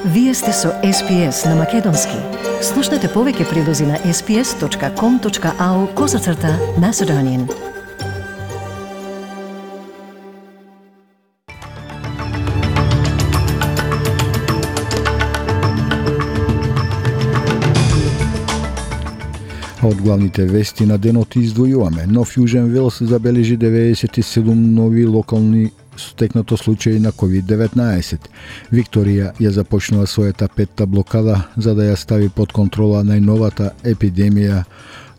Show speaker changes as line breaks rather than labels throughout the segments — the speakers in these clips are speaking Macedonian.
Вие сте со SPS на Македонски. Слушнете повеќе прилози на sps.com.au/Macedonian.
Од главните вести на денот издвојуваме. Нов Јужен Велс забележи 97 нови локални стекнато случаи на COVID-19. Викторија ја започнува својата петта блокада за да ја стави под контрола најновата епидемија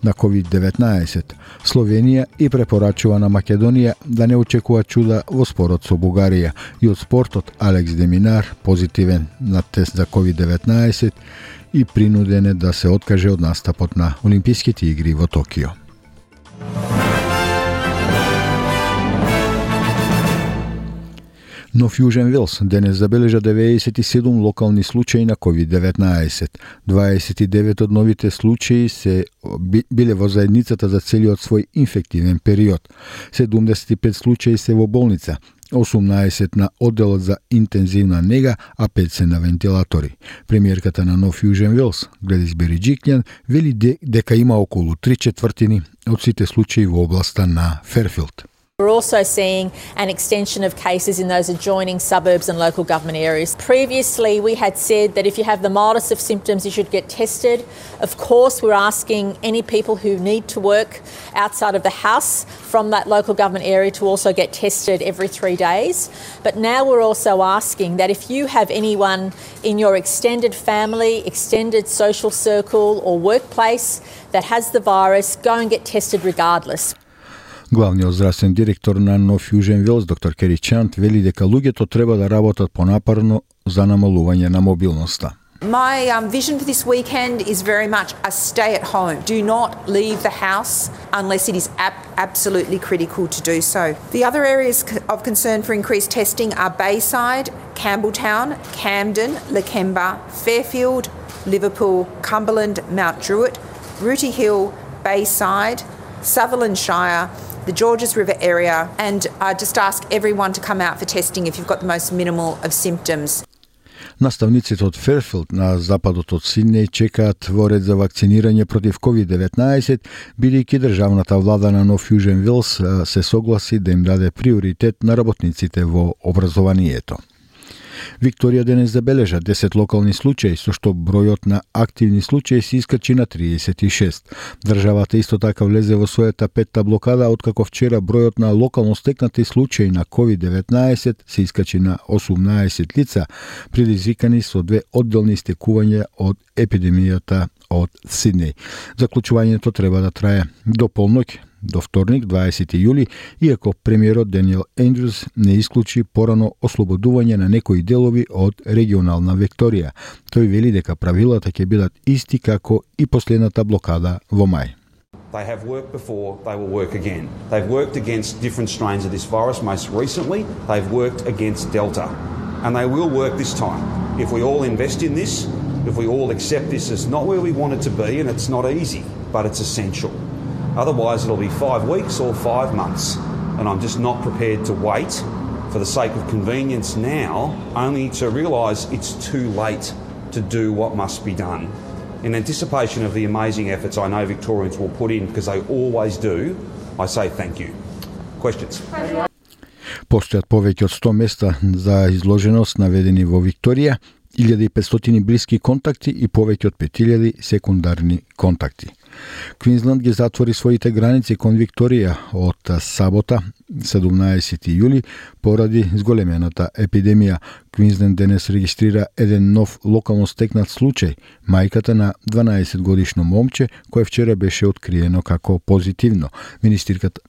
на COVID-19. Словенија и препорачува на Македонија да не очекува чуда во спорот со Бугарија. И од спортот Алекс Деминар позитивен на тест за COVID-19 и принуден е да се откаже од настапот на Олимписките игри во Токио. Нов Јужен Велс денес забележа 97 локални случаи на COVID-19. 29 од новите случаи се биле во заедницата за целиот свој инфективен период. 75 случаи се во болница, 18 на одделот за интензивна нега, а 5 се на вентилатори. Премиерката на Нов Јужен Велс, Гледис Бериџиклјан, вели дека има околу 3/4 од сите случаи во областа на Ферфилд.
We're also seeing an extension of cases in those adjoining suburbs and local government areas. Previously, we had said that if you have the mildest of symptoms, you should get tested. Of course, we're asking any people who need to work outside of the house from that local government area to also get tested every 3 days. But now we're also asking that if you have anyone in your extended family, extended social circle or workplace that has the virus, go and get tested regardless.
Главниот здравствен директор на Нов Јужен Велс, доктор Кери Чант, вели дека луѓето треба да работат понапорно за намалување на мобилноста.
My vision for this weekend is very much a stay at home. Do not leave the house unless it is absolutely critical to do so. The other areas of concern for increased testing are Bayside, Campbelltown, Camden, Lakemba, Fairfield, Liverpool, Cumberland, Mount Druitt, Rooty Hill, Bayside, Sutherland Shire, the Georges River area, and I just ask everyone to come out for testing if you've got the most minimal of symptoms.
Наставниците од Ферфилд на западот од Сиднеј чекаат во ред за вакцинирање против COVID-19, бидејќи државната влада на Нов Јужен Велс се согласи да им даде приоритет на работниците во образованието. Викторија денес забележа 10 локални случаи, со што бројот на активни случаи се искачи на 36. Државата исто така влезе во својата петта блокада, откако вчера бројот на локално стекнати случаи на COVID-19 се искачи на 18 лица, предизвикани со 2 одделни стекувања од епидемијата од Сиднеј. Заклучувањето треба да трае до полноќ, до вторник, 20 јули, иако премиерот Даниел Ендрюс не исклучи порано ослободување на некои делови од регионална Викторија. Тој вели дека правилата ќе бидат исти како и последната блокада во мај.
They have worked before, they will work again. They've worked against different strains of this virus. Most recently, they've worked against Delta. And they will work this time. If we all invest in this, if we all accept this as not where we want it to be, and it's not easy, but it's essential. Otherwise, it'll be 5 weeks or 5 months. And I'm just not prepared to wait for the sake of convenience now, only to realise it's too late to do what must be done. In anticipation of the amazing efforts I know Victorians will put in, because they always do, I say thank you. Questions?
Постојат повеќе од 100 места за изложеност наведени во Викторија, 1500 блиски контакти и повеќе од 5000 секундарни контакти. Квинсленд ги затвори своите граници кон Викторија од сабота, 17 јули, поради зголемената епидемија. Квинсленд денес регистрира еден нов локално стекнат случај, мајката на 12-годишно момче, кое вчера беше откриено како позитивно.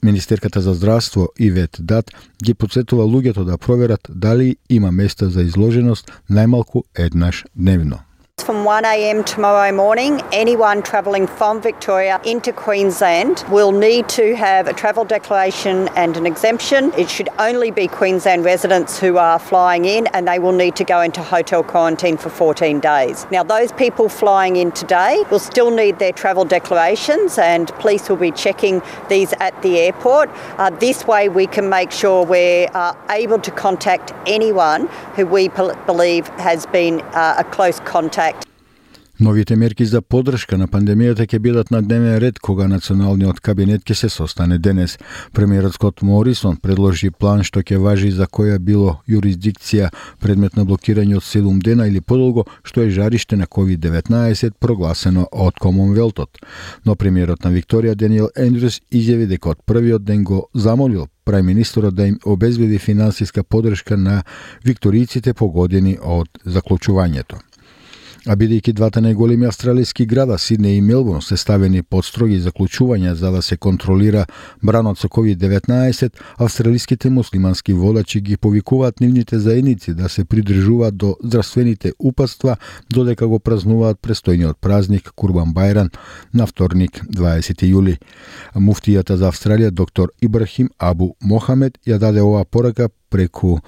Министерката за здравство Ивет Дат ги потсетува луѓето да проверат дали има места за изложеност најмалку еднаш дневно.
From 1 a.m. tomorrow morning, anyone travelling from Victoria into Queensland will need to have a travel declaration and an exemption. It should only be Queensland residents who are flying in, and they will need to go into hotel quarantine for 14 days. Now, those people flying in today will still need their travel declarations, and police will be checking these at the airport. This way we can make sure we're able to contact anyone who we believe has been a close contact.
Новите мерки за поддршка на пандемијата ќе бидат на дневен ред кога националниот кабинет ќе се состане денес. Премиерот Скот Морисон предложи план што ќе важи за која било юрисдикција предмет на блокирање од 7 дена или подолго, што е жариште на COVID-19 прогласено од Комонвелтот. Но премиерот на Викторија Даниел Ендрюс изјави дека од првиот ден го замолил прајминистерот да им обезбеди финансиска поддршка на викторијците погодени од заклучувањето. А бидејќи двата најголеми австралиски града, Сиднеј и Мелбурн, се ставени под строги заклучувања за да се контролира бранот со COVID-19, австралиските муслимански водачи ги повикуваат нивните заедници да се придржуваат до здравствените упатства додека го празнуваат престојниот празник Курбан Бајрам на вторник 20 јули. Муфтијата за Австралија доктор Ибрахим Абу Мохамед ја даде оваа порака преку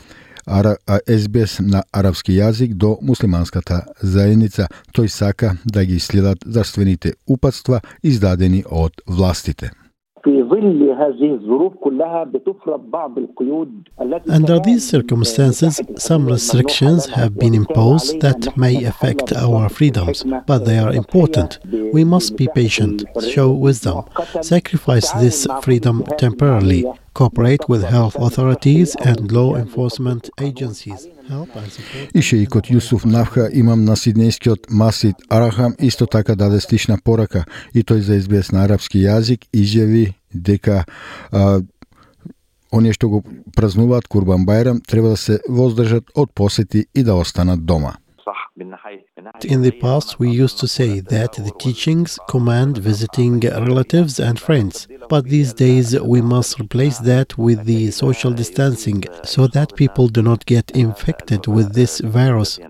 СБС на арапски јазик до муслиманската заедница. Тој сака да ги следат здравствените упатства издадени од властите.
Under these circumstances, some restrictions have been imposed that may affect our freedoms, but they are important. We must be patient, show wisdom, sacrifice this freedom temporarily, cooperate with health authorities and law enforcement agencies.
И шеикот Јусуф Нафха, имам на сиднејскиот Масид Арахам, исто така даде слична порака и тој за СБС на арапски јазик изјави дека оние што го празнуваат Курбан Бајрам треба да се воздржат од посети и да останат дома.
In the past, we used to say that the teachings command visiting relatives and friends, but these days we must replace that with the social distancing so that people do not get infected with this virus.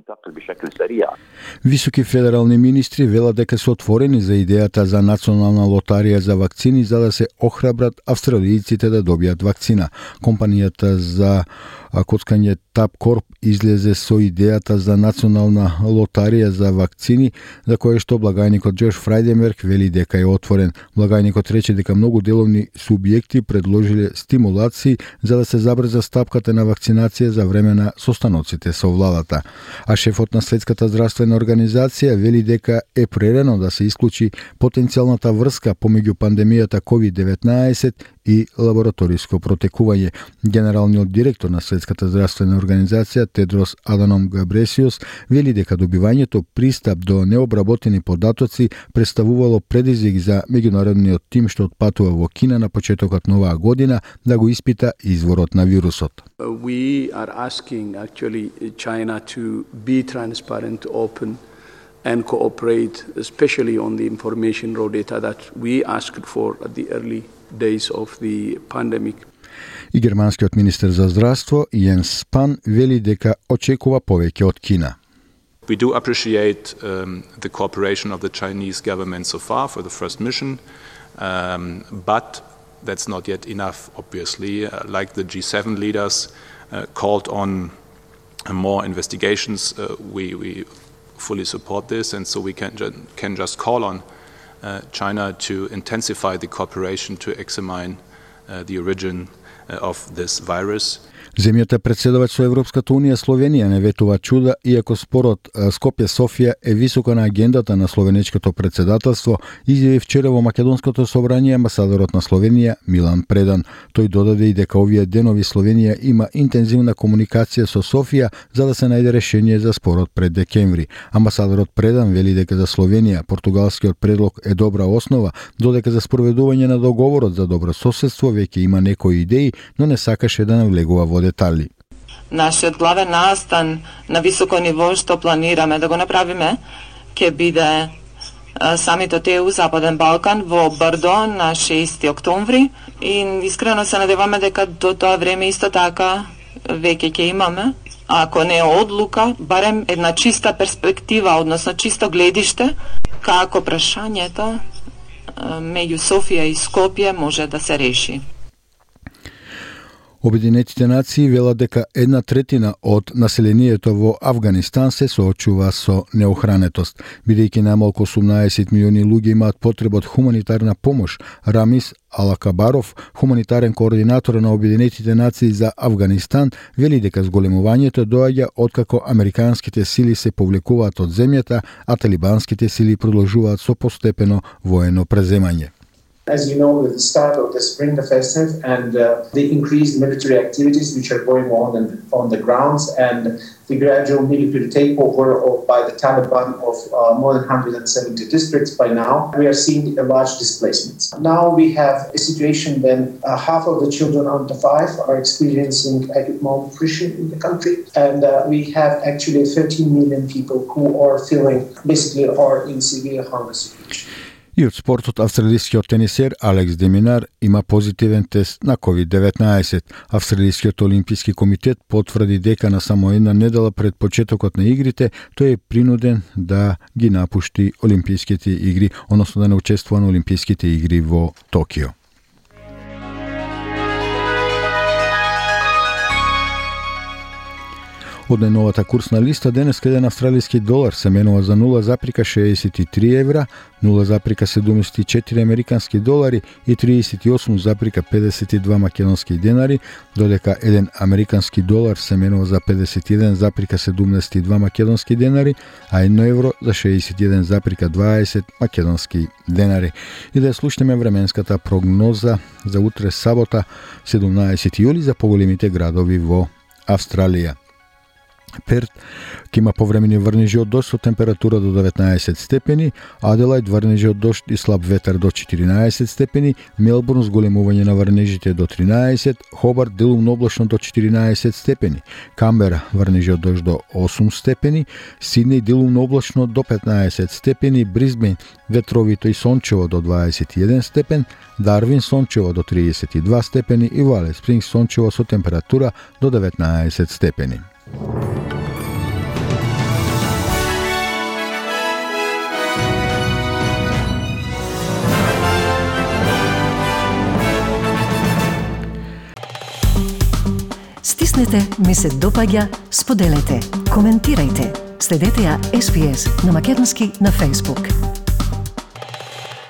Високи федерални министри велат дека се отворени за идејата за национална лотарија за вакцини за да се охрабрат австралијците да добијат вакцина. Компанијата за коцкање Tabcorp излезе со идејата за национална лотарија за вакцини, за кое што благајникот Джош Фрајденберг вели дека е отворен. Благајникот рече дека многу деловни субјекти предложиле стимулации за да се забрза стапката на вакцинација за време на состаноците со владата. А шефот на Светската здравствена организација вели дека е прерано да се исклучи потенцијалната врска помеѓу пандемијата COVID-19 и лабораториско протекување. Генералниот директор на Светската здравствена организација Тедрос Аданом Габресиус вели дека добивањето пристап до необработени податоци представувало предизвик за меѓународниот тим што отпатува во Кина на почетокот на оваа година да го испита изворот на вирусот.
We are asking actually China to be transparent, open and cooperate, especially on the information raw data that we asked for at the early days of the pandemic.
И германскиот министер за здравство Јенс Спан вели дека очекува повеќе од Кина.
We do appreciate the cooperation of the Chinese government so far for the first mission, but that's not yet enough, obviously. Like the G7 leaders called on more investigations, we fully support this, and so we can just call on China to intensify the cooperation to examine the origin of this virus.
Земјата председавач со Европската Унија Словенија не ветува чуда, иако спорот Скопје-Софија е високо на агендата на словенечкото председателство, изјави вчера во Македонското собрање амбасадорот на Словенија Милан Предан. Тој додаде и дека овие денови Словенија има интензивна комуникација со Софија за да се најде решение за спорот пред декември. Амбасадорот Предан вели дека за Словенија португалскиот предлог е добра основа, додека за спроведување на договорот за добро соседство веќе има некои идеи, но не сакаше да навлегува во детали.
Нашиот главен настан на високо ниво што планираме да го направиме ќе биде самитот ЕУ Западен Балкан во Бардо на 6 октомври и искрено се надеваме дека до тоа време исто така веќе ќе имаме ако не одлука, барем една чиста перспектива, односно чисто гледиште, како прашањето меѓу Софија и Скопје може да се реши.
Обединетите нации велат дека 1/3 од населението во Авганистан се соочува со неохранетост. Бидејќи најмалку 18 милиони луѓе имаат потреба од хуманитарна помош, Рамис Алакабаров, хуманитарен координатор на Обединетите нации за Авганистан, вели дека зголемувањето доаѓа откако американските сили се повлекуваат од земјата, а талибанските сили продолжуваат со постепено воено преземање.
As you know, with the start of the spring offensive and the increased military activities which are going on the grounds and the gradual military takeover by the Taliban of more than 170 districts by now, we are seeing a large displacements. Now we have a situation when half of the children under 5 are experiencing acute malnutrition in the country, and we have actually 13 million people who are in severe hunger situation.
И од спортот, австралискиот тенисер Алекс де Минар има позитивен тест на COVID-19. Австралискиот олимписки комитет потврди дека на само една недела пред почетокот на игрите тој е принуден да ги напушти олимписките игри, односно да не учествува на олимписките игри во Токио. Од најновата курсна листа, денес еден австралиски долар се менува за 0,63 евра, 0,74 американски долари и 38,52 македонски денари, додека еден американски долар се менува за 51,72 македонски денари, а 1 евро за 61,20 македонски денари. И да слушнеме временската прогноза за утре сабота, 17 јули за поголемите градови во Австралија. Перт ќе има повремени врнежи од дожд со температура до 19 степени, Аделајд врнежи од дожд и слаб ветар до 14 степени, Мелбурн зголемување на врнежите до 13, Хобарт делумно облачно до 14 степени, Камбера врнежи од дожд до 8 степени, Сиднеј делумно облачно до 15 степени, Брисбен ветровито и сончево до 21 степен, Дарвин сончево до 32 степени и во Алис Спрингс сончево со температура до 19 степени.
Стиснете, ми се допаѓа, споделете, коментирајте. Следете ја SPS на Македонски на Facebook.